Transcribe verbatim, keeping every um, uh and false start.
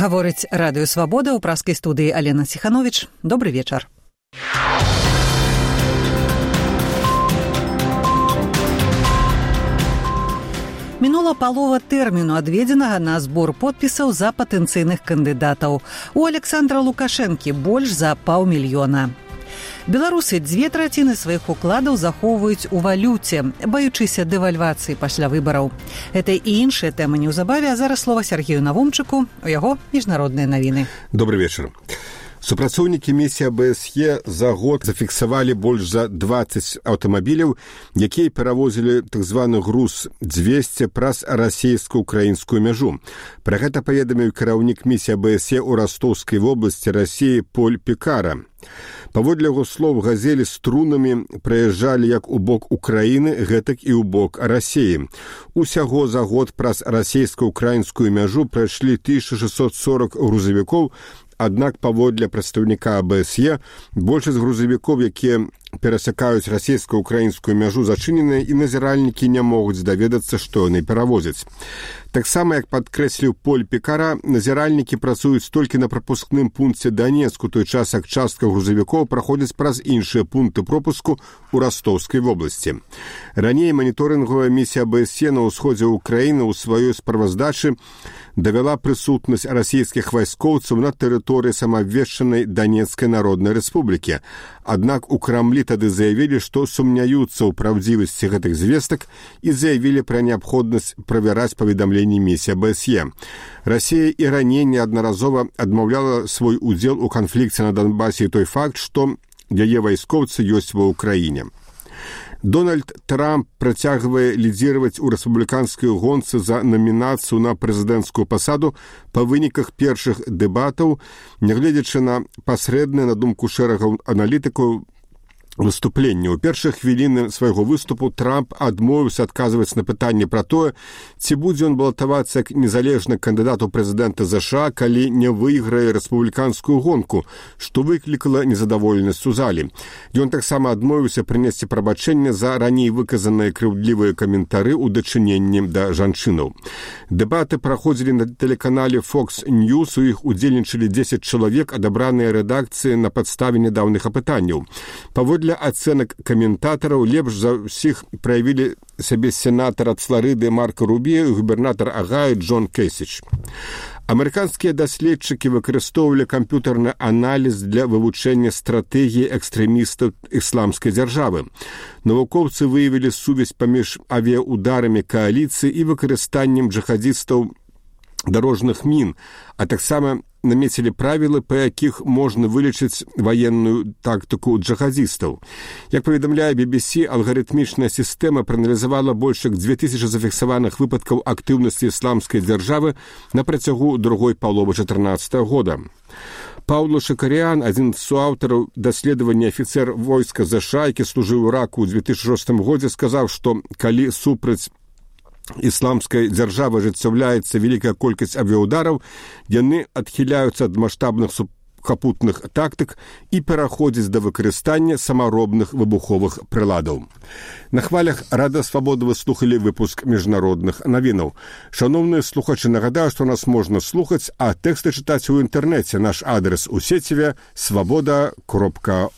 Гаворыць радыё «Свабода», у праскай студыі Алена Сіханович. Добры вечар. Мінула палова тэрміну, адведзенага на збор подпісаў за патэнцыйных кандыдатаў. У Александра Лукашэнкі больш за паўмільёна. Беларусы дзве траціны сваіх укладаў захоўваюць у валюце, баючыся дэвальвацыі пасля выбараў. Гэта і іншыя тэмы неўзабаве, а зараз слова Сергею Навумчыку, у яго міжнародныя навіны. Добрый вечар. Супрацоўнікі місіі а бэ эс е за год зафіксавалі больш за дваццаць аўтамабіляў, якія перавозілі так званы груз дзвесце праз расійска-украінскую мяжу. Пра гэта паведаміў кіраўнік місіі а бэ эс е ў Растоўскай вобласці Расіі Поль Пікара. Паводле яго слоў, газелі з трунамі праязджалі як у бок Украіны, гэтак і ў бок Расіі. Усяго за год праз расійска-украінскую мяжу прайшлі тысяча шэсцьсот сорок грузавікоў, аднак паводле прадстаўніка а бэ эс е большасць грузавікоў, якія перасякаюць расійска-украінскую мяжу, зачыненыя, і назіральнікі не могуць даведацца, што яны перавозяць. Таксама, як падкрэсліў Поль Пікара, назіральнікі працуюць толькі на прапускным пункце Данецку, той час як частка грузавікоў праходзіць праз іншыя пункты пропуску ў Растоўскай вобласці. Раней маніторынгавая місія а бэ эс е на ўсходзе ўкраіны ў сваёй справаздачы давяла прысутнасць расійскіх вайскоўцаў на тэрыторыі самаабвешчанай Данецкай Народнай Рэспублікі. Аднак у Крамлі тады заявілі, што сумняюцца ў праўдзівасці гэтых звестак і заявілі пра неабходнасць правяраць паведамленні місіі а бэ эс е. Расія і раней неаднаразова адмаўляла свой удзел у канфлікце на Донбасе і той факт, што яе вайскоўцы ёсць ва ўкраіне. Дональд Трамп працягвае лідзіраваць у рэспубліканскай гонцы за намінацыю на прэзідэнцкую пасаду па выніках першых дэбатаў, нягледзячы на пасрэднае, на думку шэрагаў аналітыкаў, выступленне. У першых хвіліны свайго выступу Трамп адмовіўся адказваць на пытанне пра тое, ці будзе ён балатавацца як незалежны кандыдат у прэзідэнта ЗША, калі не выйграе рэспубліканскую гонку, што выклікала незадаволенасць у залі. Ён таксама адмовіўся прынесці прабачэнне за раней выказаныя крыўдлівыя каментары ў дачыненні да жанчынаў. Дэбаты праходзілі на тэлеканале Fox News, у іх удзельнічалі дзесяць чалавек, адабраныя рэдакцыі на падставе нядаўных апытанняў. Паводле ацэнак каментатараў, лепш за ўсіх праявілі сябе сенатар ад Фларыды Марко Рубіо і губернатар Агаю Джон Кэсіч. Амерыканскія даследчыкі выкарыстоўвалі камп'ютарны аналіз для вывучэння стратэгіі экстрэмістаў ісламскай дзяржавы. Навукоўцы выявілі сувязь паміж авіяударамі кааліцыі і выкарыстаннем джихадзістаў дарожных мін, а таксама намецілі правілы, па якіх можна вылічыць ваенную тактыку джихадзістаў. Як паведамляе би би сі, алгарытмічная сістэма прааналізавала больш як дзве тысячы зафіксаваных выпадкаў актыўнасці ісламскай дзяржавы на працягу другой паловы чатырнаццатага года. Паўло Шакарян, адзін з суаўтараў даследавання афіцэр войска ЗША, які служыў у Іраку ў дзве тысячы шостым годзе, сказаў, што калі супраць ісламскай дзяржавы ажыццяўляецца вялікая колькасць авіяудараў, яны адхіляюцца ад маштабных сухапутных тактык і пераходзяць да выкарыстання самаробных выбуховых прыладаў. На хвалях Радыё Свабода вы слухалі выпуск міжнародных навінаў. Шановныя слухачы, нагадаю, што нас можна слухаць, а тэксты чытаць у інтэрнэце. Наш адрес у сеціве свабода кропка